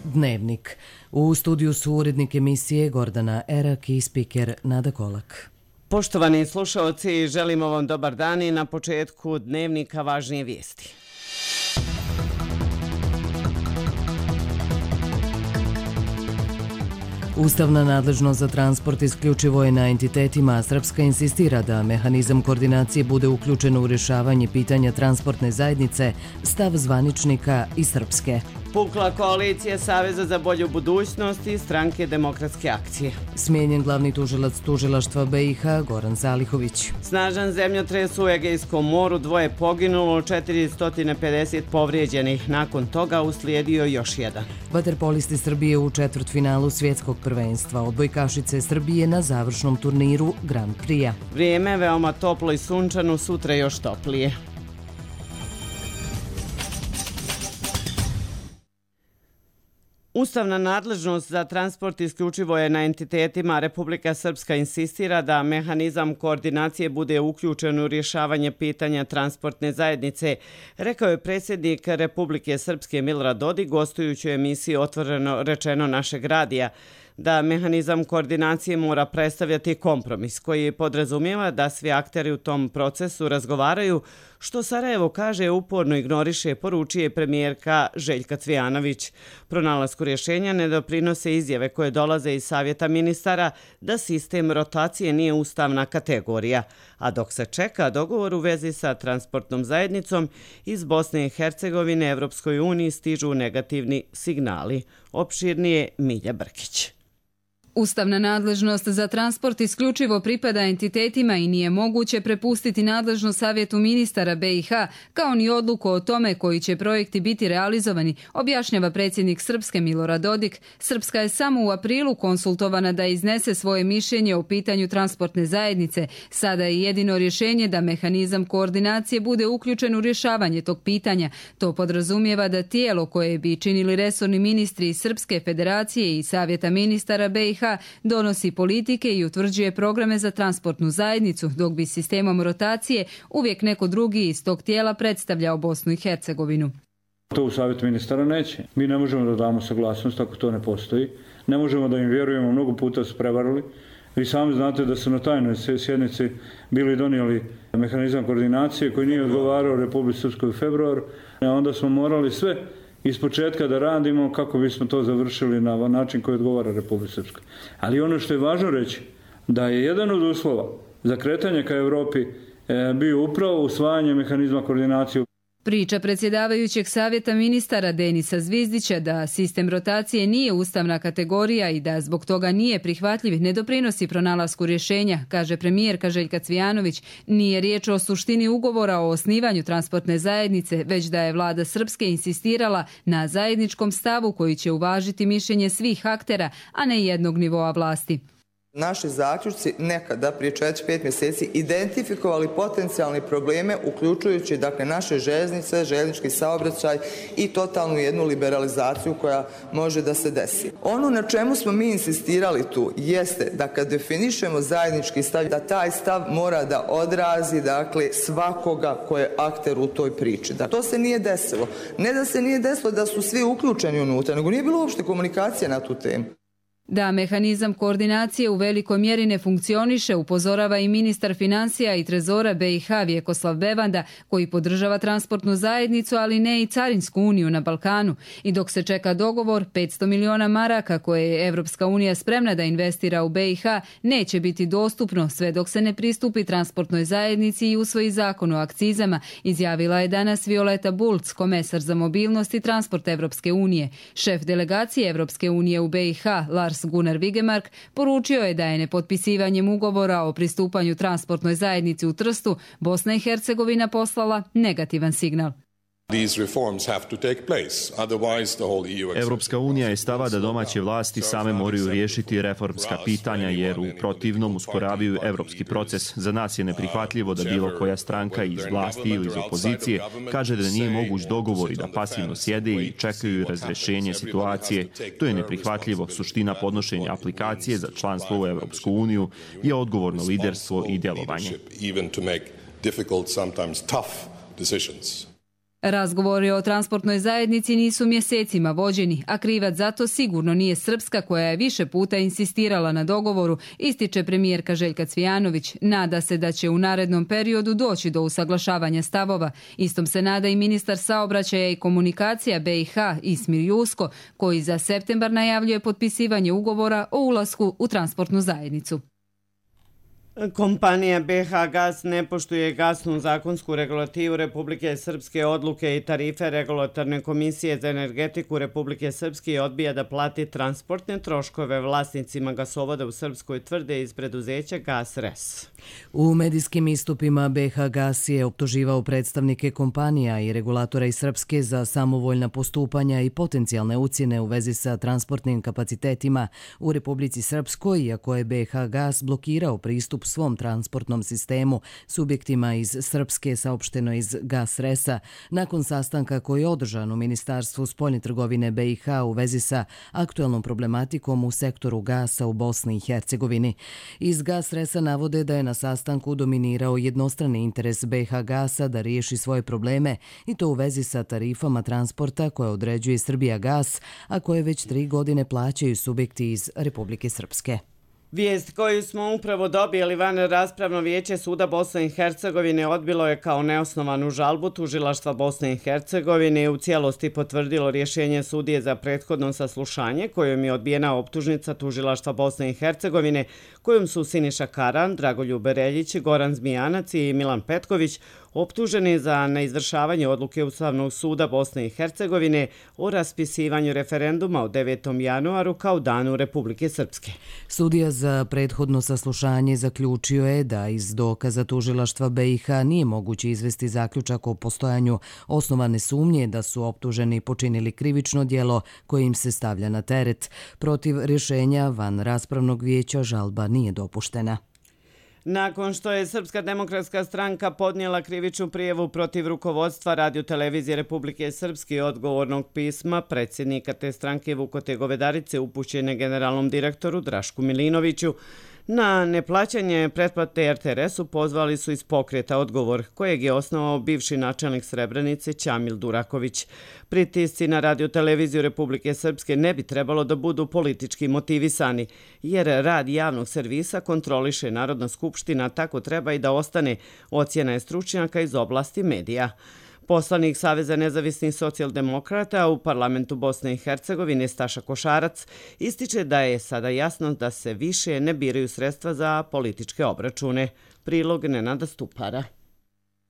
Dnevnik. U studiju su urednik emisije Gordana Erak i spiker Nada Kolak. Poštovani slušaoci, želimo vam dobar dan i na početku Dnevnika važnije vijesti. Ustavna nadležnost za transport isključivo je na entitetima, a Srpska insistira da mehanizam koordinacije bude uključen u rješavanje pitanja transportne zajednice, stav zvaničnika i Srpske. Pukla koalicija Saveza za bolju budućnost i Stranke demokratske akcije. Smijenjen glavni tužilac tužilaštva BiH Goran Zalihović. Snažan zemljotres u Egejskom moru, 2 poginulo, 450 povrijeđenih. Nakon toga uslijedio još jedan. Vaterpolisti Srbije u četvrtfinalu svjetskog prvenstva. Odbojkašice Srbije na završnom turniru Grand Prix-a. Vrijeme veoma toplo i sunčano, sutra još toplije. Ustavna nadležnost za transport isključivo je na entitetima. Republika Srpska insistira da mehanizam koordinacije bude uključen u rješavanje pitanja transportne zajednice, rekao je predsjednik Republike Srpske Milorad Dodik gostujući u emisiji Otvoreno rečeno našeg radija, da mehanizam koordinacije mora predstavljati kompromis koji podrazumijeva da svi akteri u tom procesu razgovaraju, što Sarajevo kaže uporno ignoriše, poručuje premijerka Željka Cvijanović. Pronalasku rješenja ne doprinose izjave koje dolaze iz Savjeta ministara da sistem rotacije nije ustavna kategorija, a dok se čeka dogovor u vezi sa transportnom zajednicom iz Bosne i Hercegovine Evropskoj uniji stižu negativni signali. Opširnije Milja Brkić. Ustavna nadležnost za transport isključivo pripada entitetima i nije moguće prepustiti nadležnost Savjetu ministara BiH, kao ni odluku o tome koji će projekti biti realizovani, objašnjava predsjednik Srpske Milorad Dodik. Srpska je samo u aprilu konsultovana da iznese svoje mišljenje o pitanju transportne zajednice. Sada je jedino rješenje da mehanizam koordinacije bude uključen u rješavanje tog pitanja. To podrazumijeva da tijelo koje bi činili resorni ministri iz Srpske federacije i Savjeta ministara BiH donosi politike i utvrđuje programe za transportnu zajednicu, dok bi sistemom rotacije uvijek neko drugi iz tog tijela predstavljao Bosnu i Hercegovinu. To u Savjetu ministara neće. Mi ne možemo da damo saglasnost ako to ne postoji. Ne možemo da im vjerujemo, mnogo puta su prevarili. Vi sami znate da su na tajnoj sjednici bili donijeli mehanizam koordinacije koji nije odgovarao Republici Srpskoj u februaru. Onda smo morali sve iz početka da radimo kako bismo to završili na način koji odgovara Republici Srpskoj. Ali ono što je važno reći, da je jedan od uslova za kretanje ka Europi bio upravo usvajanje mehanizma koordinacije. Priča predsjedavajućeg Savjeta ministara Denisa Zvizdića da sistem rotacije nije ustavna kategorija i da zbog toga nije prihvatljiv ne doprinosi pronalasku rješenja, kaže premijerka Željka Cvijanović. Nije riječ o suštini ugovora o osnivanju transportne zajednice, već da je vlada Srpske insistirala na zajedničkom stavu koji će uvažiti mišljenje svih aktera, a ne jednog nivoa vlasti. Naši zaključci nekada, prije 4-5 mjeseci, identifikovali potencijalne probleme, uključujući naše željeznice, željeznički saobraćaj i totalnu jednu liberalizaciju koja može da se desi. Ono na čemu smo mi insistirali tu jeste da kad definišemo zajednički stav, da taj stav mora da odrazi svakoga ko je akter u toj priči. To se nije desilo. Ne da se nije desilo da su svi uključeni unutra, nego nije bilo uopšte komunikacije na tu temu. Da mehanizam koordinacije u velikoj mjeri ne funkcioniše, upozorava i ministar financija i trezora BiH Vjekoslav Bevanda, koji podržava transportnu zajednicu, ali ne i carinsku uniju na Balkanu. I dok se čeka dogovor, 500 miliona maraka koje je Evropska unija spremna da investira u BiH neće biti dostupno sve dok se ne pristupi transportnoj zajednici i usvoji zakon o akcizama, izjavila je danas Violeta Bulc, komesar za mobilnost i transport Evropske unije. Šef delegacije Evropske unije u BiH, Lars Gunnar Vigemark, poručio je da je nepotpisivanjem ugovora o pristupanju transportnoj zajednici u Trstu Bosna i Hercegovina poslala negativan signal. Evropska unija je stava da domaće vlasti same moraju riješiti reformska pitanja jer u protivnom usporavaju evropski proces. Za nas je neprihvatljivo da bilo koja stranka iz vlasti ili iz opozicije kaže da nije moguć dogovor i da pasivno sjede i čekaju razrješenje situacije. To je neprihvatljivo. Suština podnošenja aplikacije za članstvo u Evropsku uniju je odgovorno liderstvo i djelovanje. Razgovori o transportnoj zajednici nisu mjesecima vođeni, a krivac zato sigurno nije Srpska koja je više puta insistirala na dogovoru, ističe premijerka Željka Cvijanović. Nada se da će u narednom periodu doći do usaglašavanja stavova. Istom se nada i ministar saobraćaja i komunikacija BiH Ismir Jusko, koji za septembar najavljuje potpisivanje ugovora o ulasku u transportnu zajednicu. Kompanija BiH Gas ne poštuje gasnu zakonsku regulativu Republike Srpske, odluke i tarife Regulatorne komisije za energetiku Republike Srpske i odbija da plati transportne troškove vlasnicima gasovoda u Srpskoj, tvrde iz preduzeća Gas RES. U medijskim istupima BiH Gas je optuživao predstavnike kompanija i regulatora iz Srpske za samovoljna postupanja i potencijalne ucjene u vezi sa transportnim kapacitetima u Republici Srpskoj, iako je BiH Gas blokirao pristup svom transportnom sistemu subjektima iz Srpske, saopšteno iz Gas RES-a, nakon sastanka koji je održan u Ministarstvu spoljne trgovine BiH u vezi sa aktuelnom problematikom u sektoru gasa u Bosni i Hercegovini. Iz Gas RES-a navode da je na sastanku dominirao jednostrani interes BiH Gasa da riješi svoje probleme i to u vezi sa tarifama transporta koje određuje Srbija Gas, a koje već 3 godine plaćaju subjekti iz Republike Srpske. Vijest koju smo upravo dobili, van raspravno vijeće Suda Bosne i Hercegovine odbilo je kao neosnovanu žalbu tužilaštva Bosne i Hercegovine i u cijelosti potvrdilo rješenje sudije za prethodno saslušanje kojom je odbijena optužnica tužilaštva Bosne i Hercegovine kojom su Siniša Karan, Dragoljub Reljić, Goran Zmijanac i Milan Petković optuženi za neizvršavanje odluke Ustavnog suda Bosne i Hercegovine o raspisivanju referenduma u 9. januaru kao danu Republike Srpske. Sudija za prethodno saslušanje zaključio je da iz dokaza tužilaštva BiH nije moguće izvesti zaključak o postojanju osnovane sumnje da su optuženi počinili krivično djelo koje im se stavlja na teret. Protiv rješenja van raspravnog vijeća žalba nije dopuštena. Nakon što je Srpska demokratska stranka podnijela krivičnu prijavu protiv rukovodstva Radio-televizije Republike Srpske i odgovornog pisma predsjednika te stranke Vukote Govedarice upućene generalnom direktoru Drašku Milinoviću, na neplaćanje pretplate RTRS-u pozvali su iz pokreta Odgovor, kojeg je osnovao bivši načelnik Srebrenice Ćamil Duraković. Pritisci na Radio-televiziju Republike Srpske ne bi trebalo da budu politički motivisani, jer rad javnog servisa kontroliše Narodna skupština, tako treba i da ostane, ocjena je stručnjaka iz oblasti medija. Poslanik Saveza nezavisnih socijaldemokrata u parlamentu Bosne i Hercegovine Staša Košarac ističe da je sada jasno da se više ne biraju sredstva za političke obračune. Prilog Nenada Stupara.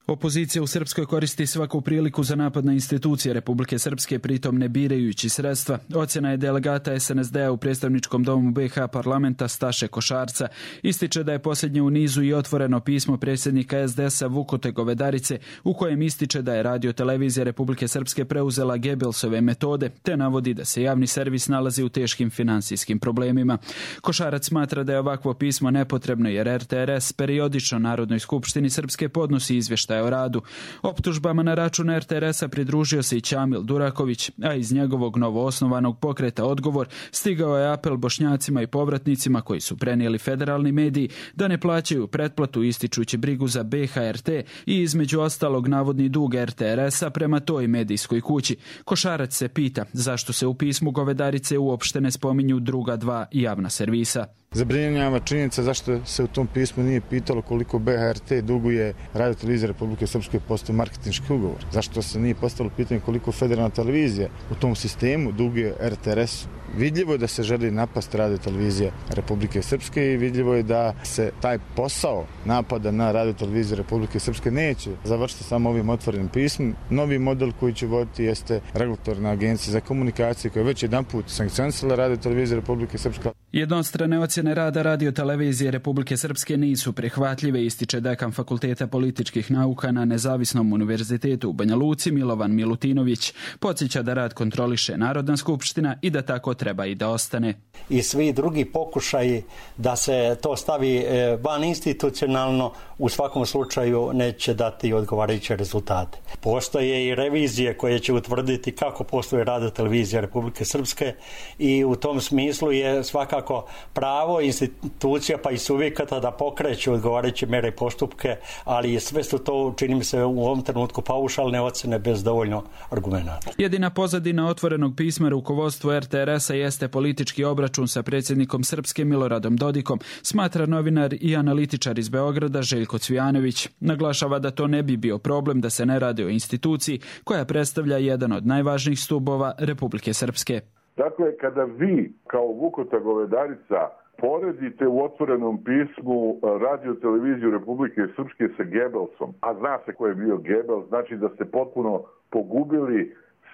Opozicija u Srpskoj koristi svaku priliku za napad na institucije Republike Srpske, pritom ne birajući sredstva. Ocjena je delegata SNSD-a u predstavničkom domu BiH parlamenta Staše Košarca. Ističe da je posljednje u nizu i otvoreno pismo predsjednika SDS-a Vukote Govedarice u kojem ističe da je Radio-televizija Republike Srpske preuzela Gebelsove metode, te navodi da se javni servis nalazi u teškim finansijskim problemima. Košarac smatra da je ovakvo pismo nepotrebno jer RTRS periodično Narodnoj skupštini Srpske podnosi izvještaj o radu. Optužbama na račun RTRS-a pridružio se i Ćamil Duraković, a iz njegovog novoosnovanog pokreta Odgovor stigao je apel Bošnjacima i povratnicima koji su prenijeli federalni mediji da ne plaćaju pretplatu ističući brigu za BHRT i između ostalog navodni dug RTRS-a prema toj medijskoj kući. Košarac se pita zašto se u pismu Govedarice uopšte ne spominju druga 2 javna servisa. Zabrinjava činjenica zašto se u tom pismu nije pitalo koliko BHRT duguje Radio-televizija Republike Srpske postoje marketinški ugovor. Zašto se nije postavilo pitanje koliko federalna televizija u tom sistemu duguje RTRS. Vidljivo je da se želi napasti Radio-televizija Republike Srpske i vidljivo je da se taj posao napada na Radio-televiziju Republike Srpske neće završiti samo ovim otvorenim pismom. Novi model koji će voditi jeste regulatorna agencija za komunikacije koja je već jedanput sankcionisala Radio-televiziju Republike Srpske. Jednostrane ocjene rada Radio-televizije Republike Srpske nisu prihvatljive, ističe dekan Fakulteta političkih nauka na Nezavisnom univerzitetu u Banja Luci Milovan Milutinović. Podsjeća da rad kontroliše Narodna skupština i da tako treba i da ostane. I svi drugi pokušaji da se to stavi van institucionalno u svakom slučaju neće dati odgovarajuće rezultate. Postoje i revizije koje će utvrditi kako posluje Radio-televizija Republike Srpske i u tom smislu je svakako svakako pravo institucija pa i subjekata da pokreću odgovarajuće mere i postupke, ali sve su to, čini mi se, u ovom trenutku paušalne ocjene bez dovoljno argumenata. Jedina pozadina otvorenog pisma rukovodstvu RTRS-a jeste politički obračun sa predsjednikom Srpske Miloradom Dodikom, smatra novinar i analitičar iz Beograda Željko Cvijanović. Naglašava da to ne bi bio problem da se ne radi o instituciji koja predstavlja jedan od najvažnijih stubova Republike Srpske. Dakle, kada vi kao Vukota Govedarica poredite u otvorenom pismu radio televiziju Republike Srpske sa Gebelsom, a zna se ko je bio Gebels, znači da ste potpuno pogubili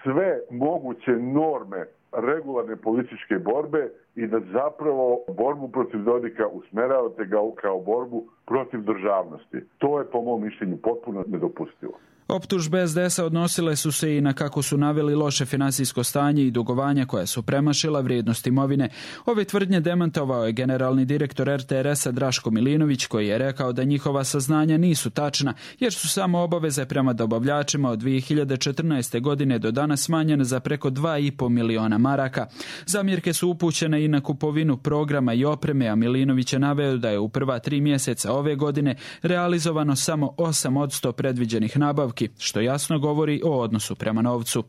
sve moguće norme regularne političke borbe i da zapravo borbu protiv Dodika usmeravate ga kao borbu protiv državnosti. To je po mom mišljenju potpuno nedopustivo. Optužbe SDS-a odnosile su se i na, kako su naveli, loše finansijsko stanje i dugovanja koja su premašila vrijednost imovine. Ove tvrdnje demantovao je generalni direktor RTRS-a Draško Milinović, koji je rekao da njihova saznanja nisu tačna, jer su samo obaveze prema dobavljačima od 2014. godine do danas smanjene za preko 2,5 miliona maraka. Zamjerke su upućene i na kupovinu programa i opreme, a Milinović je naveo da je u prva 3 mjeseca ove godine realizovano samo 8% predviđenih nabavki, što jasno govori o odnosu prema novcu.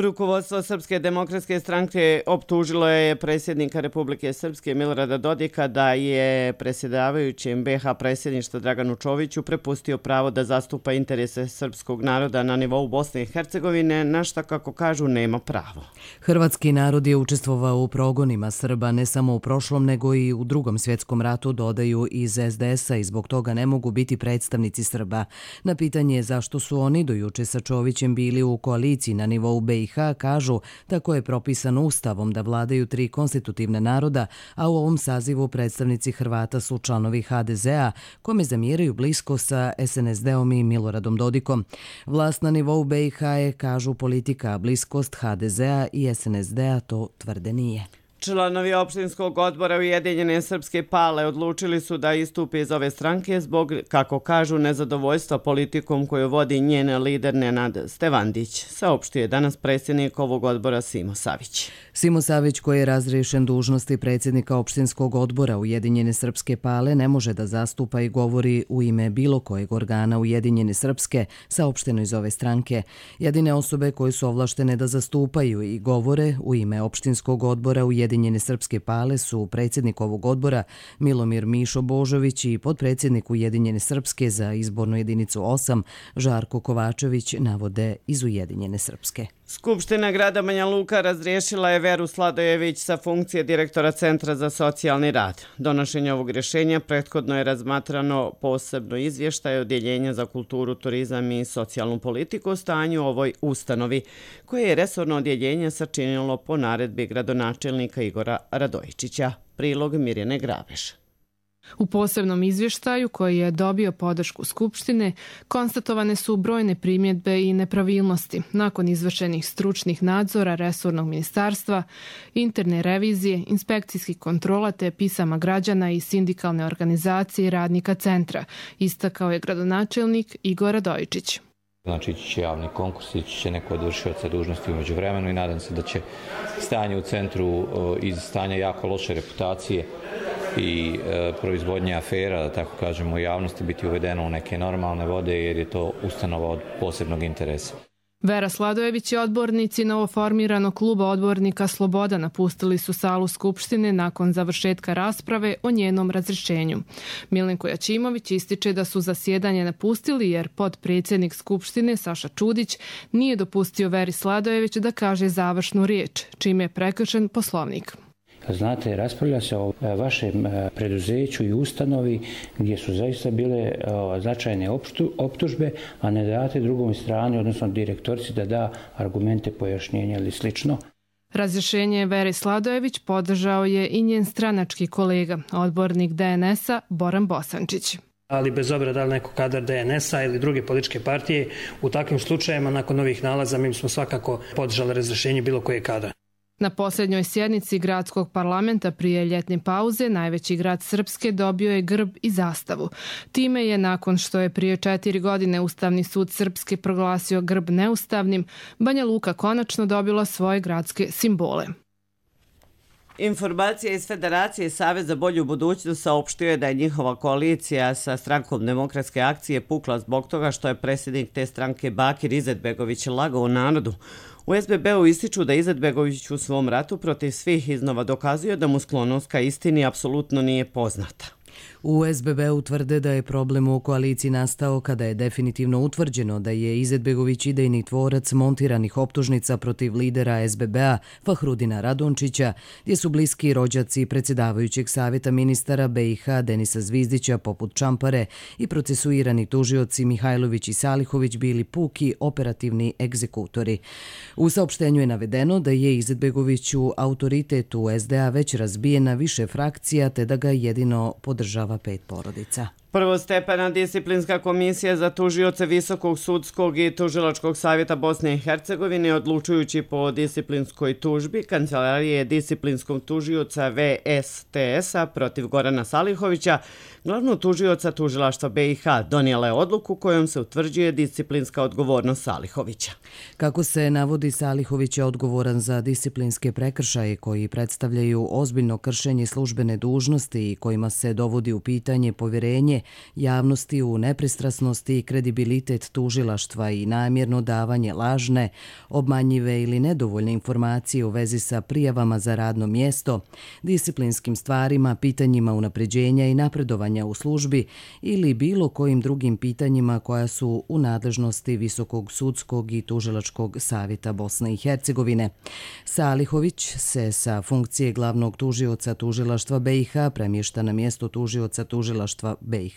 Rukovodstvo Srpske demokratske stranke optužilo je predsjednika Republike Srpske Milorada Dodika da je predsjedavajućem BiH predsjedništva Draganu Čoviću prepustio pravo da zastupa interese srpskog naroda na nivou Bosne i Hercegovine, na šta, kako kažu, nema pravo. Hrvatski narod je učestvovao u progonima Srba ne samo u prošlom nego i u Drugom svjetskom ratu, dodaju iz SDS-a, i zbog toga ne mogu biti predstavnici Srba. Na pitanje zašto su oni do juče sa Čovićem bili u koaliciji na nivou BiH, kažu tako je propisano ustavom da vladaju 3 konstitutivna naroda, a u ovom sazivu predstavnici Hrvata su članovi HDZ-a, kome zamjeraju blisko sa SNSD-om i Miloradom Dodikom. Vlast na nivou BiH je, kažu, politika, a bliskost HDZ-a i SNSD-a to tvrde nije. Članovi opštinskog odbora Ujedinjene Srpske Pale odlučili su da istupe iz ove stranke zbog, kako kažu, nezadovoljstva politikom koju vodi njen lider Nenad Stevandić, saopštio je danas predsjednik ovog odbora Simo Savić. Simo Savić, koji je razriješen dužnosti predsjednika opštinskog odbora Ujedinjene Srpske Pale, ne može da zastupa i govori u ime bilo kojeg organa Ujedinjene Srpske, saopšteno iz ove stranke. Jedine osobe koje su ovlaštene da zastupaju i govore u ime opštinskog odbora Ujedinjene Srpske Pale su predsjednik ovog odbora Milomir Mišo Božović i potpredsjednik Ujedinjene Srpske za izbornu jedinicu 8 Žarko Kovačević, navode iz Ujedinjene Srpske. Skupština grada Banja Luka razriješila je Veru Sladojević sa funkcije direktora Centra za socijalni rad. Donošenje ovog rješenja prethodno je razmatrano posebno izvještaj Odjeljenja za kulturu, turizam i socijalnu politiku o stanju u ovoj ustanovi, koje je resorno odjeljenje sačinilo po naredbi gradonačelnika Igora Radojičića. Prilog Mirjane Graveš. U posebnom izvještaju, koji je dobio podršku Skupštine, konstatovane su brojne primjedbe i nepravilnosti nakon izvršenih stručnih nadzora resornog ministarstva, interne revizije, inspekcijskih kontrola te pisama građana i sindikalne organizacije i radnika centra, istakao je gradonačelnik Igor Radojičić. Znači, ići će javni konkurs, ići će neko od vršioca dužnosti u međuvremenu i nadam se da će stanje u centru iz stanja jako loše reputacije i proizvodnje afera, da tako kažemo, u javnosti biti uvedeno u neke normalne vode, jer je to ustanova od posebnog interesa. Vera Sladojević i odbornici novoformiranog kluba odbornika Sloboda napustili su salu Skupštine nakon završetka rasprave o njenom razrješenju. Milenko Jačimović ističe da su zasjedanje napustili jer podpredsjednik Skupštine Saša Čudić nije dopustio Veri Sladojević da kaže završnu riječ, čime je prekršen Poslovnik. Znate, raspravlja se o vašem preduzeću i ustanovi gdje su zaista bile značajne optužbe, a ne date drugom strani, odnosno direktorici, da da argumente, pojašnjenja ili slično. Razrješenje Vere Sladojević podržao je i njen stranački kolega, odbornik DNS-a Boran Bosančić. Ali bez obzira da li neko kadar DNS-a ili druge političke partije, u takvim slučajevima nakon ovih nalaza mi smo svakako podržali razrješenje bilo koje kadra. Na posljednjoj sjednici gradskog parlamenta prije ljetne pauze najveći grad Srpske dobio je grb i zastavu. Time je, nakon što je prije 4 godine Ustavni sud Srpske proglasio grb neustavnim, Banja Luka konačno dobila svoje gradske simbole. Informacija iz Federacije Savez za bolju budućnost saopštio je da je njihova koalicija sa strankom Demokratske akcije pukla zbog toga što je predsjednik te stranke Bakir Izetbegović lagao narodu. U SBB-u ističu da Izetbegović u svom ratu protiv svih iznova dokazuje da mu sklonost ka istini apsolutno nije poznata. U SBB-u tvrde da je problem u koaliciji nastao kada je definitivno utvrđeno da je Izetbegović idejni tvorac montiranih optužnica protiv lidera SBB-a Fahrudina Radončića, gdje su bliski rođaci predsjedavajućeg savjeta ministara BiH Denisa Zvizdića poput Čampare i procesuirani tužioci Mihajlović i Salihović bili puki operativni egzekutori. U saopštenju je navedeno da je Izetbegoviću autoritet u SDA već razbijen na više frakcija te da ga jedino podržava 5 porodica. Prvostepena disciplinska komisija za tužioce Visokog sudskog i tužilačkog savjeta Bosne i Hercegovine odlučujući po disciplinskoj tužbi Kancelarije disciplinskog tužioca VSTS-a protiv Gorana Salihovića, glavnog tužioca tužilaštva BiH, donijela je odluku kojom se utvrđuje disciplinska odgovornost Salihovića. Kako se navodi, Salihović je odgovoran za disciplinske prekršaje koji predstavljaju ozbiljno kršenje službene dužnosti i kojima se dovodi u pitanje povjerenje javnosti u nepristrasnosti i kredibilitet tužilaštva i namjerno davanje lažne, obmanjive ili nedovoljne informacije u vezi sa prijavama za radno mjesto, disciplinskim stvarima, pitanjima unapređenja i napredovanja u službi ili bilo kojim drugim pitanjima koja su u nadležnosti Visokog sudskog i tužilačkog savjeta Bosne i Hercegovine. Salihović se sa funkcije glavnog tužioca tužilaštva BiH premješta na mjesto tužioca tužilaštva BiH.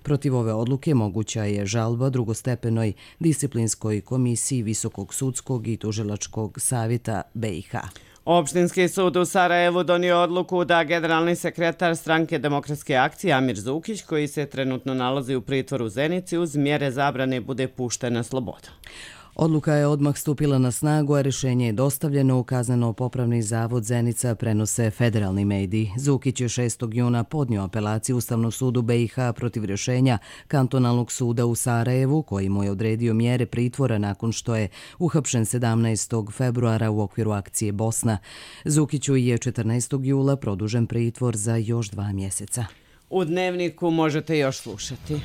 Protiv ove odluke moguća je žalba drugostepenoj disciplinskoj komisiji Visokog sudskog i tužilačkog savjeta BiH. Opštinski sud u Sarajevu donio odluku da generalni sekretar stranke Demokratske akcije Amir Zukić, koji se trenutno nalazi u pritvoru u Zenici, uz mjere zabrane bude pušten na slobodu. Odluka je odmah stupila na snagu, a rješenje je dostavljeno u Kazneno-popravni zavod Zenica, prenose federalni mediji. Zukić je 6. juna podnio apelaciju Ustavnom sudu BiH protiv rješenja Kantonalnog suda u Sarajevu, koji mu je odredio mjere pritvora nakon što je uhapšen 17. februara u okviru akcije Bosna. Zukiću je 14. jula produžen pritvor za još 2 mjeseca. U Dnevniku možete još slušati.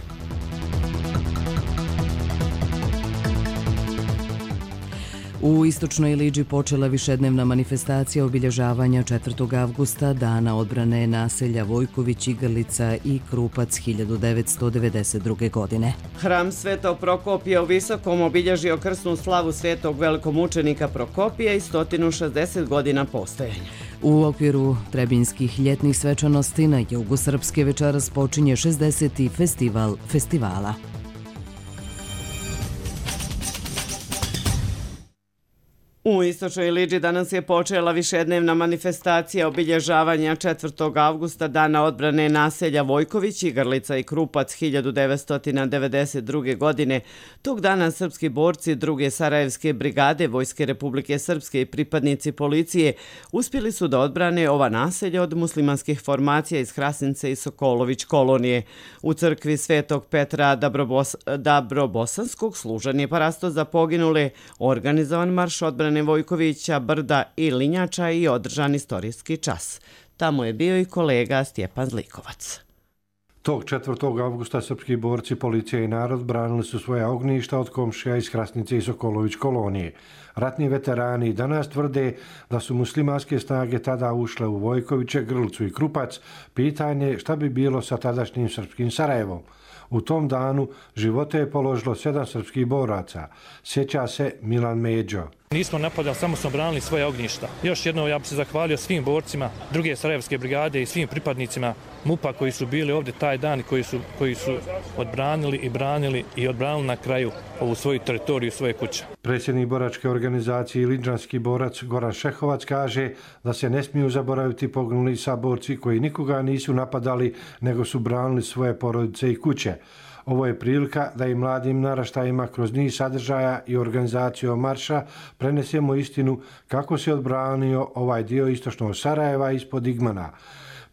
U Istočnoj Liđi počela višednevna manifestacija obilježavanja 4. avgusta, dana odbrane naselja Vojković, Igrlica i Krupac 1992. godine. Hram Svetog Prokopija u Visokom obilježio krsnu slavu svetog velikomučenika Prokopija i 160 godina postojanja. U okviru Trebinjskih ljetnih svečanosti na jugu Srpske večeras počinje 60. festival festivala. U Istočnoj Liđi danas je počela višednevna manifestacija obilježavanja 4. avgusta, dana odbrane naselja Vojković, Igrlica i Krupac 1992. godine. Tog dana srpski borci 2. Sarajevske brigade Vojske Republike Srpske i pripadnici policije uspjeli su da odbrane ova naselja od muslimanskih formacija iz Hrasnice i Sokolović kolonije. U crkvi Svetog Petra Dabrobosanskog služan je parasto za poginule, organizovan marš odbrane Vojkovića, Brda i Linjača i održan istorijski čas. Tamo je bio i kolega Stjepan Zlikovac. Tog 4. avgusta srpski borci, policija i narod branili su svoja ognjišta od komšija iz Hrasnice i Sokolović kolonije. Ratni veterani danas tvrde da su muslimanske snage tada ušle u Vojkoviće, Grlicu i Krupac. Pitanje šta bi bilo sa tadašnjim srpskim Sarajevom. U tom danu živote je položilo 7 srpskih boraca. Sjeća se Milan Međo. Nismo napadali, samo smo branili svoje ognjišta. Još jednom ja bih se zahvalio svim borcima 2. Sarajevske brigade i svim pripadnicima MUP-a koji su bili ovdje taj dan i koji su odbranili i branili i odbranili na kraju ovu svoju teritoriju, svoje kuće. Predsjednik boračke organizacije i liđanski borac Goran Šehovac kaže da se ne smiju zaboraviti poginuli saborci koji nikoga nisu napadali nego su branili svoje porodice i kuće. Ovo je prilika da i mladim naraštajima kroz niz sadržaja i organizaciju marša prenesemo istinu kako se odbranio ovaj dio istočnog Sarajeva ispod Igmana.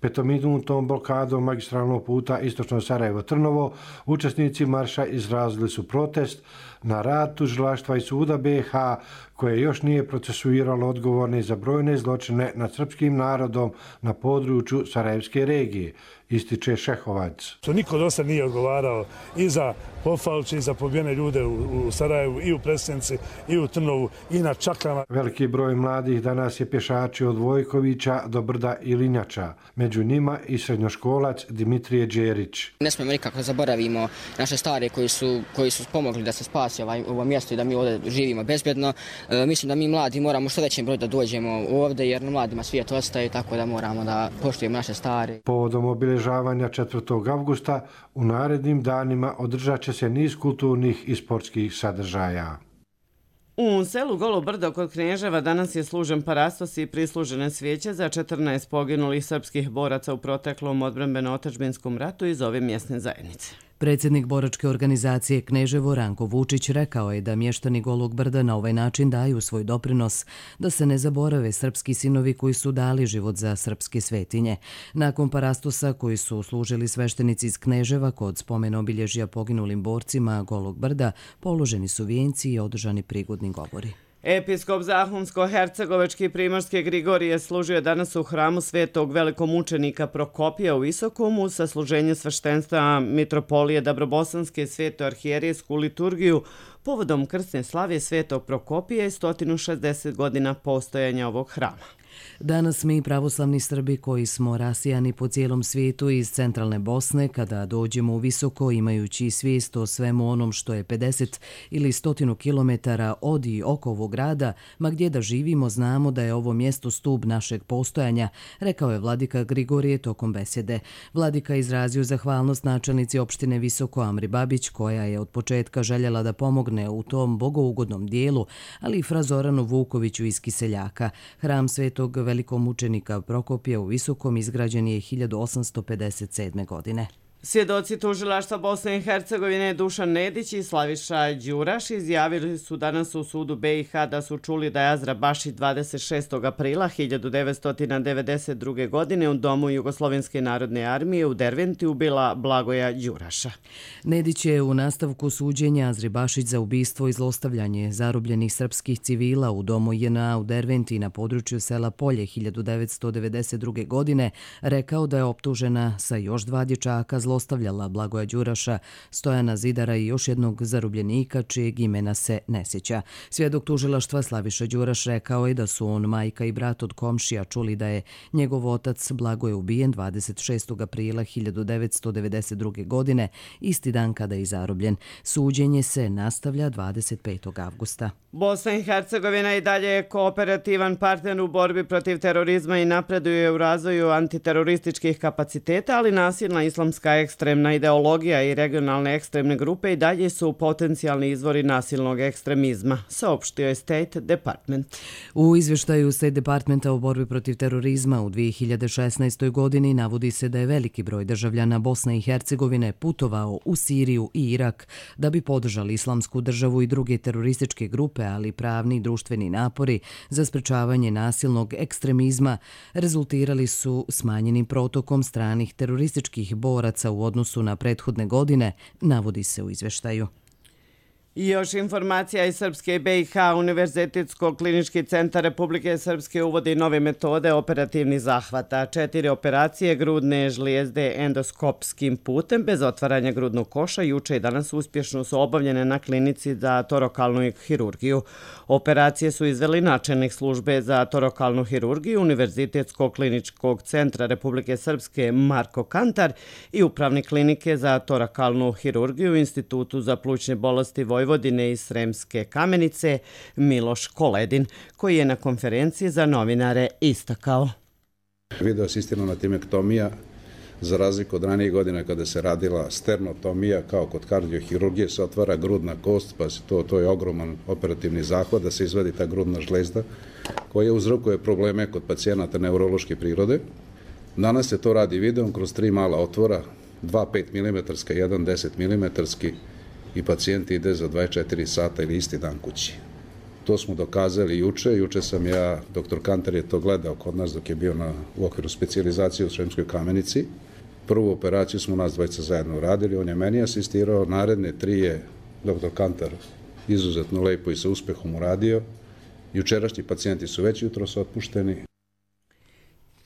5-minutnom blokadom magistralnog puta istočno Sarajevo-Trnovo učesnici marša izrazili su protest na rad tužilaštva i suda BiH koje još nije procesuiralo odgovorne za brojne zločine nad srpskim narodom na području Sarajevske regije, ističe Šehovac. Niko do sad nije odgovarao i za Pofalče i za pobijene ljude u Sarajevu i u Presenici i u Trnovu i na Čaklama. Veliki broj mladih danas je pješačio od Vojkovića do Brda i Linjača. Među njima i srednjoškolac Dimitrije Đerić. Ne smemo nikako zaboravimo naše stare koji su pomogli da se spasi ovo mjesto i da mi ovdje živimo bezbjedno. Mislim da mi mladi moramo što većem broju da dođemo ovdje jer na mladima svijet ostaje, tako da moramo da poštujemo naše stare. Povodom obilježavanja 4. avgusta u narednim danima održat će se niz kulturnih i sportskih sadržaja. U selu Golo Brdo kod Kneževa danas je služen parastos i prislužene svijeće za 14 poginulih srpskih boraca u proteklom odbrambeno-otadžbinskom ratu iz ove mjesne zajednice. Predsjednik boračke organizacije Kneževo Ranko Vučić rekao je da mještani Golog Brda na ovaj način daju svoj doprinos da se ne zaborave srpski sinovi koji su dali život za srpske svetinje. Nakon parastosa koji su služili sveštenici iz Kneževa kod spomen obilježja poginulim borcima Golog Brda položeni su vijenci i održani prigodni govori. Episkop Zahumsko-Hercegovački Primorske Grigorije služio danas u hramu svetog velikomučenika Prokopija u Visokomu sa služenjem sveštenstva Mitropolije Dabrobosanske sveto arhijerijsku liturgiju povodom krsne slave svetog Prokopija i 160 godina postojanja ovog hrama. Danas mi pravoslavni Srbi koji smo rasijani po cijelom svijetu iz centralne Bosne, kada dođemo u Visoko imajući svijest o svemu onom što je 50 ili 100 kilometara od i oko ovog grada, ma gdje da živimo znamo da je ovo mjesto stub našeg postojanja, rekao je vladika Grigorije tokom besjede. Vladika izrazio zahvalnost načelnici opštine Visoko Amri Babić, koja je od početka željela da pomogne u tom bogougodnom dijelu, ali i fra Zoranu Vukoviću iz Kiseljaka. Hram svetog velikomučenika Prokopija u Visokom izgrađen je 1857. godine. Svjedoci tužilaštva Bosne i Hercegovine Dušan Nedić i Slaviša Đuraš izjavili su danas u sudu BiH da su čuli da je Azra Bašić 26. aprila 1992. godine u domu Jugoslovenske narodne armije u Derventi ubila Blagoja Đuraša. Nedić je u nastavku suđenja Azri Bašić za ubistvo i zlostavljanje zarobljenih srpskih civila u domu JNA u Derventi na području sela Polje 1992. godine rekao da je optužena sa još 2 dječaka zlostavljala Blagoja Đuraša, Stojana Zidara i još jednog zarobljenika čijeg imena se ne sjeća. Svjedok tužilaštva Slaviša Đuraš rekao je da su on, majka i brat od komšija čuli da je njegov otac Blagoje ubijen 26. aprila 1992. godine, isti dan kada je zarobljen. Suđenje se nastavlja 25. avgusta. Bosna i Hercegovina i dalje je kooperativan partner u borbi protiv terorizma i napreduje u razvoju antiterorističkih kapaciteta, ali nasilna islamska ekstremna ideologija i regionalne ekstremne grupe i dalje su potencijalni izvori nasilnog ekstremizma, saopštio je State Department. U izvještaju State Departmenta o borbi protiv terorizma u 2016. godini navodi se da je veliki broj državljana Bosne i Hercegovine putovao u Siriju i Irak da bi podržali islamsku državu i druge terorističke grupe, ali pravni i društveni napori za sprečavanje nasilnog ekstremizma rezultirali su smanjenim protokom stranih terorističkih boraca u odnosu na prethodne godine, navodi se u izvještaju. I još informacija iz Srpske BiH. Univerzitetsko-klinički centar Republike Srpske uvodi nove metode operativnih zahvata. 4 operacije grudne žlijezde endoskopskim putem bez otvaranja grudnog koša juče i danas uspješno su obavljene na klinici za torokalnu hirurgiju. Operacije su izveli načelnik službe za torokalnu hirurgiju Univerzitetsko-kliničkog centra Republike Srpske Marko Kantar i upravnik klinike za torakalnu hirurgiju u Institutu za plućne bolesti Vojvodine i Sremske Kamenice Miloš Koledin, koji je na konferenciji za novinare istakao. Video asistirana timektomija, za razliku od ranijih godina kada se radila sternotomija, kao kod kardiohirurgije, se otvara grudna kost, pa to je ogroman operativni zahvat da se izvadi ta grudna žlezda, koja uzrokuje probleme kod pacijenata neurološke prirode. Danas se to radi videom kroz 3 mala otvora, 2 5 mm, 1 10 mm, i pacijent ide za 24 sata ili isti dan kući. To smo dokazali juče. Juče sam ja, doktor Kantar je to gledao kod nas dok je bio u okviru specijalizacije u Sremskoj Kamenici. Prvu operaciju smo nas dvojica zajedno uradili, on je meni asistirao, naredne 3 je doktor Kantar izuzetno lepo i sa uspehom uradio. Jučerašnji pacijenti su već jutros otpušteni.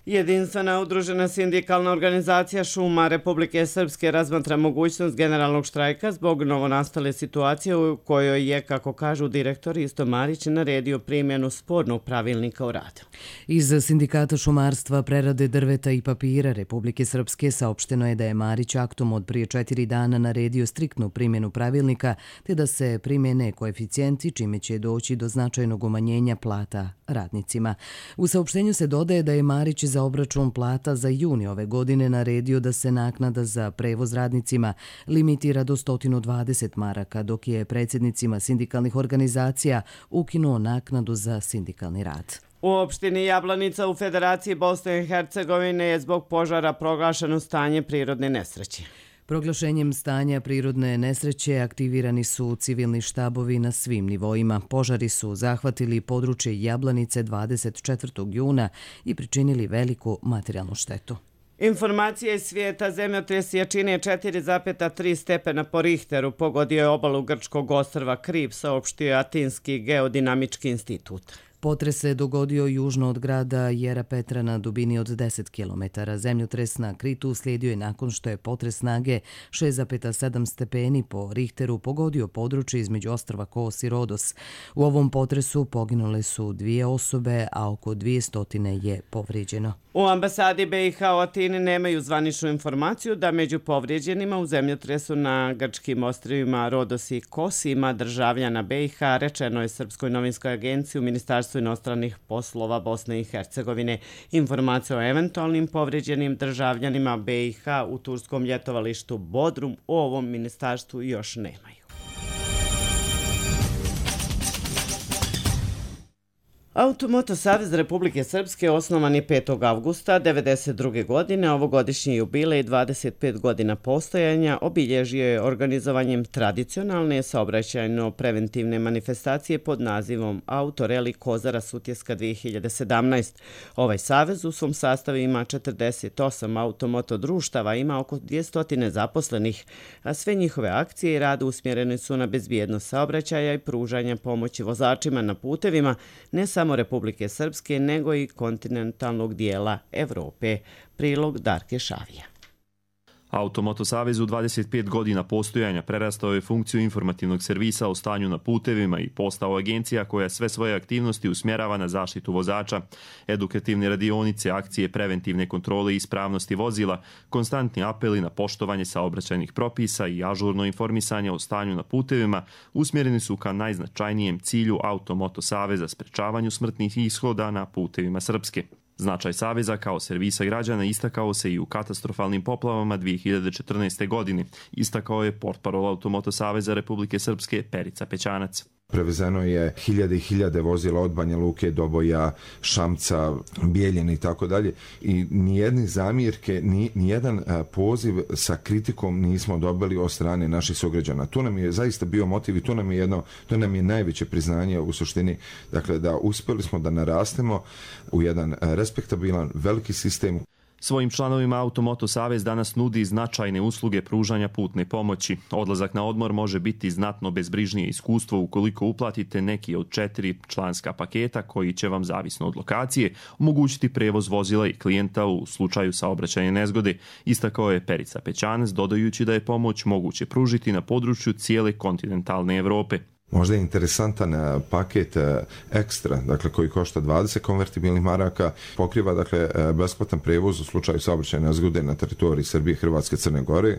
Jedinstvena udružena sindikalna organizacija šuma Republike Srpske razmatra mogućnost generalnog štrajka zbog novonastale situacije u kojoj je, kako kažu direktor Isto Marić, naredio primjenu spornog pravilnika o radu. Iz Sindikata šumarstva, prerade drveta i papira Republike Srpske saopšteno je da je Marić aktom od prije 4 dana naredio striktnu primjenu pravilnika te da se primjene koeficijenti čime će doći do značajnog umanjenja plata radnicima. U saopštenju se dodaje da je Marić za obračun plata za juni ove godine naredio da se naknada za prevoz radnicima limitira do 120 maraka, dok je predsjednicima sindikalnih organizacija ukinuo naknadu za sindikalni rad. U opštini Jablanica u Federaciji Bosne i Hercegovine je zbog požara proglašeno stanje prirodne nesreće. Proglašenjem stanja prirodne nesreće aktivirani su civilni štabovi na svim nivoima. Požari su zahvatili područje Jablanice 24. juna i pričinili veliku materijalnu štetu. Informacije iz svijeta: zemljotres jačine 4,3 stepena po Richteru pogodio je obalu grčkog ostrva Krip, saopštio je Atinski geodinamički institut. Potres se dogodio južno od grada Jerapetra na dubini od 10 km. Zemljotres na Kritu slijedio je nakon što je potres snage 6,7 stepeni po Richteru pogodio područje između ostrva Kos i Rodos. U ovom potresu poginule su 2 osobe, a oko 200 je povrijeđeno. U ambasadi BiH u Atini nemaju zvaničnu informaciju da među povrijeđenima u zemljotresu na grčkim ostrvima Rodos i Kos ima državljana BiH, rečeno je Srpskoj novinskoj agenciji u Ministarstvu inostranih poslova Bosne i Hercegovine. Informacije o eventualnim povrijeđenim državljanima BiH u turskom ljetovalištu Bodrum u ovom ministarstvu još nemaju. Automoto Savez Republike Srpske osnovan je 5. avgusta 1992. godine. Ovogodišnji jubilej 25 godina postojanja obilježio je organizovanjem tradicionalne saobraćajno-preventivne manifestacije pod nazivom Autoreli Kozara Sutjeska 2017. Ovaj savez u svom sastavu ima 48 automoto društava, ima oko 200 zaposlenih, a sve njihove akcije i rad usmjerene su na bezbjednost saobraćaja i pružanja pomoći vozačima na putevima, ne samo Republike Srpske, nego i kontinentalnog dijela Evrope. Prilog Darke Šavija. Automoto Savez u 25 godina postojanja prerastao je funkciju informativnog servisa o stanju na putevima i postao agencija koja sve svoje aktivnosti usmjerava na zaštitu vozača. Edukativne radionice, akcije preventivne kontrole i ispravnosti vozila, konstantni apeli na poštovanje saobraćajnih propisa i ažurno informisanje o stanju na putevima usmjereni su ka najznačajnijem cilju Automoto Saveza, sprečavanju smrtnih ishoda na putevima Srpske. Značaj Saveza kao servisa građana istakao se i u katastrofalnim poplavama 2014. godine, istakao je portparol Automoto Saveza Republike Srpske Perica Pećanac. Prevezeno je hiljade i hiljade vozila od Banja Luke, Doboja, Šamca, Bijeljine i tako dalje. I nijedne zamjerke, nijedan poziv sa kritikom nismo dobili od strane naših sugrađana. Tu nam je zaista bio motiv i to nam je najveće priznanje u suštini. Dakle, da uspjeli smo da narastemo u jedan respektabilan, veliki sistem. Svojim članovima Automoto Savez danas nudi značajne usluge pružanja putne pomoći. Odlazak na odmor može biti znatno bezbrižnije iskustvo ukoliko uplatite neki od 4 članska paketa koji će vam, zavisno od lokacije, omogućiti prevoz vozila i klijenta u slučaju saobraćajne nezgode, istakao je Perica Pećanac, dodajući da je pomoć moguće pružiti na području cijele kontinentalne Evrope. Možda je interesantan paket ekstra, dakle koji košta 20 konvertibilnih maraka, pokriva dakle besplatan prevoz u slučaju saobraćajne nezgode na teritoriji Srbije, Hrvatske, Crne Gore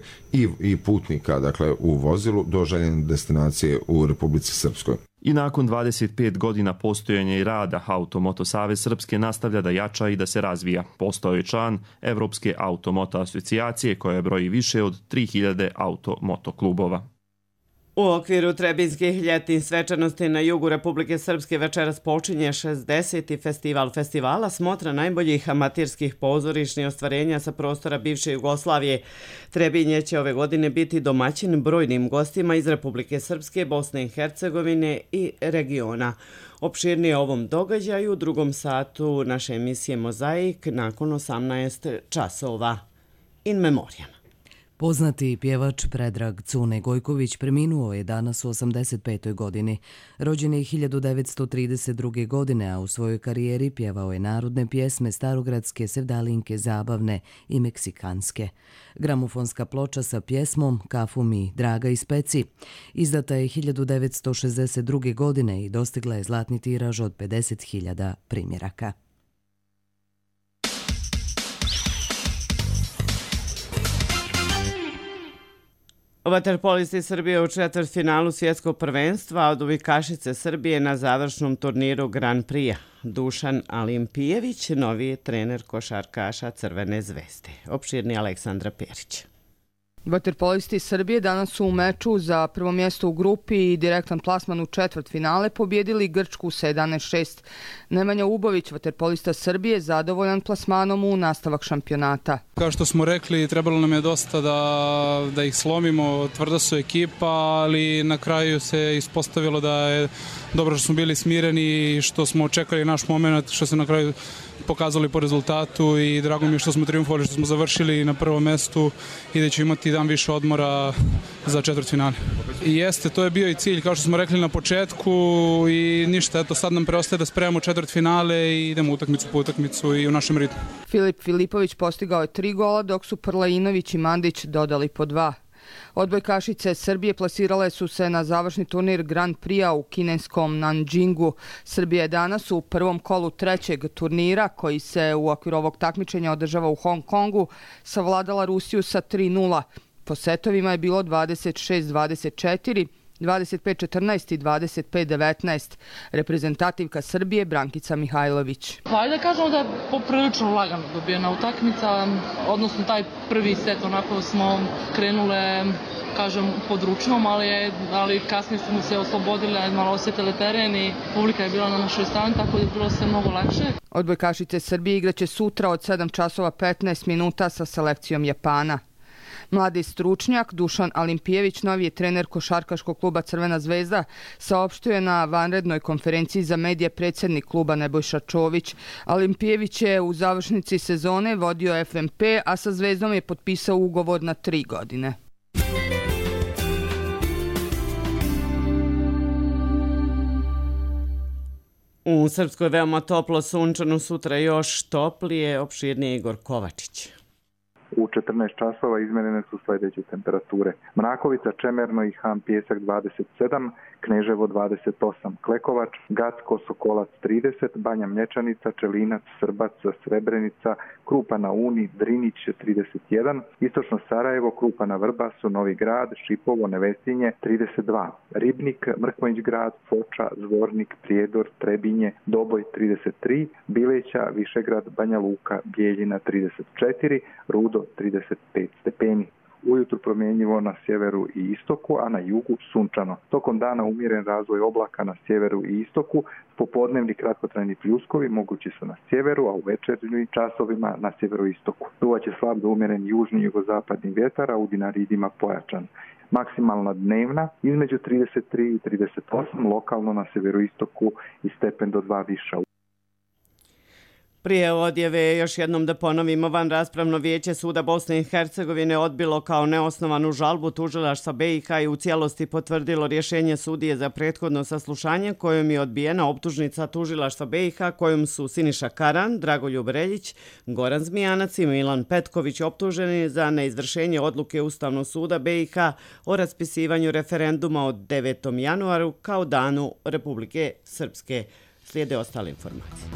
i putnika dakle u vozilu do željene destinacije u Republici Srpskoj. I nakon 25 godina postojanja i rada, Automoto Savez Srpske nastavlja da jača i da se razvija. Postao je član Evropske automoto asocijacije koja broji više od 3000 automoto klubova. U okviru Trebinskih ljetnih svečanosti na jugu Republike Srpske večeras počinje 60. festival festivala smotra najboljih amaterskih pozorišnih ostvarenja sa prostora bivše Jugoslavije. Trebinje će ove godine biti domaćin brojnim gostima iz Republike Srpske, Bosne i Hercegovine i regiona. Opširnije o ovom događaju u drugom satu naše emisije Mozaik nakon 18 časova. In memoriam. Poznati pjevač Predrag Cune Gojković preminuo je danas u 85. godini. Rođen je 1932. godine, a u svojoj karijeri pjevao je narodne pjesme starogradske, sevdalinke, zabavne i meksikanske. Gramofonska ploča sa pjesmom Kafu mi, draga i speci izdata je 1962. godine i dostigla je zlatni tiraž od 50.000 primjeraka. Vaterpolisti Srbije u četvrtfinalu svjetskog prvenstva, a odbojkašice Srbije na završnom turniru Grand Prix. Dušan Alimpijević, novi trener košarkaša Crvene zvezde. Opširni Aleksandra Perić. Vaterpolisti Srbije danas su u meču za prvo mjesto u grupi i direktan plasman u četvrtfinale pobjedili Grčku sa 11-6. Nemanja Ubović, vaterpolista Srbije, zadovoljan plasmanom u nastavak šampionata. Kao što smo rekli, trebalo nam je dosta da ih slomimo, tvrda su ekipa, ali na kraju se ispostavilo da je dobro što smo bili smireni i što smo čekali naš moment, što se na kraju pokazali po rezultatu i drago mi je što smo triumfovali, što smo završili na prvom mestu i da ćemo imati dan više odmora za četvrtfinale. I jeste, to je bio i cilj, kao što smo rekli na početku i ništa, eto sad nam preostaje da spremamo četvrtfinale i idemo utakmicu po utakmicu i u našem ritmu. Filip Filipović postigao je 3 gola, dok su Prlainović i Mandić dodali po 2. Odbojkašice Srbije plasirale su se na završni turnir Grand Prix u kineskom Nanjingu. Srbija je danas u prvom kolu trećeg turnira, koji se u okviru ovog takmičenja održava u Hong Kongu, savladala Rusiju sa 3-0. Po setovima je bilo 26-24, 25-14 i 25-19. Reprezentativka Srbije Brankica Mihajlović. Hajde da kažemo da je poprilično lagano dobijena utakmica, odnosno taj prvi set onako smo krenule, kažem, pod ručnom, ali kasnije smo se oslobodile, malo osjetile teren i publika je bila na našoj strani, tako da je bilo sve mnogo lakše. Odbojkašice Srbije igraće sutra od 7 časova 15 minuta sa selekcijom Japana. Mladi stručnjak Dušan Alimpijević, novi je trener košarkaškog kluba Crvena zvezda, saopštio je na vanrednoj konferenciji za medije predsjednik kluba Nebojša Čović. Alimpijević je u završnici sezone vodio FNP, a sa Zvezdom je potpisao ugovor na 3 godine. U Srpskoj veoma toplo, sunčano, sutra još toplije, opširnije Igor Kovačić. U 14 časova izmjerene su sljedeće temperature. Mrakovica, Čemerno i Han Pjesak 27, Kneževo 28, Klekovač, Gacko, Sokolac 30, Banja Mlječanica, Čelinac, Srbac, Srebrenica, Krupa na Uni, Drinić 31, Istočno Sarajevo, Krupa na Vrbasu, Novi Grad, Šipovo, Nevesinje 32, Ribnik, Mrkonjić Grad, Foča, Zvornik, Prijedor, Trebinje, Doboj 33, Bileća, Višegrad, Banja Luka, Bijeljina 34, Rudo 35 stepeni. Ujutru promjenjivo na sjeveru i istoku, a na jugu sunčano. Tokom dana umjeren razvoj oblaka na sjeveru i istoku, popodnevni kratkotrajni pljuskovi mogući su na sjeveru, a u večernjim časovima na sjeveroistoku. Duvaće slab do umjeren južni jugozapadni vjetar, a u Dinaridima pojačan. Maksimalna dnevna između 33 i 38, lokalno na sjeveroistoku i stepen do 2 viša. Prije odjave još jednom da ponovimo, vanraspravno vijeće Suda Bosne i Hercegovine odbilo kao neosnovanu žalbu tužilaštva BiH i u cijelosti potvrdilo rješenje sudije za prethodno saslušanje kojom je odbijena optužnica tužilaštva BiH kojom su Siniša Karan, Dragoljub Reljić, Goran Zmijanac i Milan Petković optuženi za neizvršenje odluke Ustavnog suda BiH o raspisivanju referenduma od 9. januaru kao danu Republike Srpske. Slijede ostale informacije.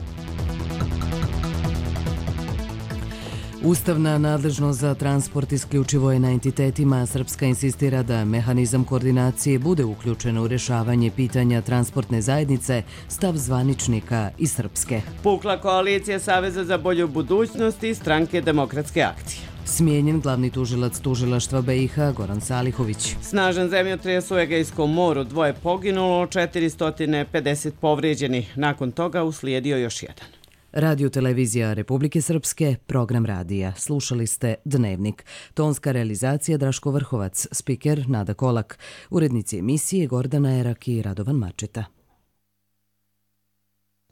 Ustavna nadležnost za transport isključivo je na entitetima. Srpska insistira da mehanizam koordinacije bude uključen u rješavanje pitanja transportne zajednice, stav zvaničnika iz Srpske. Pukla koalicija Saveza za bolju budućnost i Stranke demokratske akcije. Smijenjen glavni tužilac tužilaštva BiH Goran Salihović. Snažan zemljotres u Egejskom moru, 2 poginulo, 450 povrijeđenih. Nakon toga uslijedio još jedan. Radio televizija Republike Srpske, program radija. Slušali ste Dnevnik. Tonska realizacija Draško Vrhovac, spiker Nada Kolak, urednici emisije Gordana Erak i Radovan Mačeta.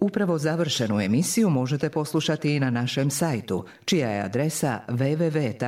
Upravo završenu emisiju možete poslušati i na našem sajtu, čija je adresa www.rtrs.tv.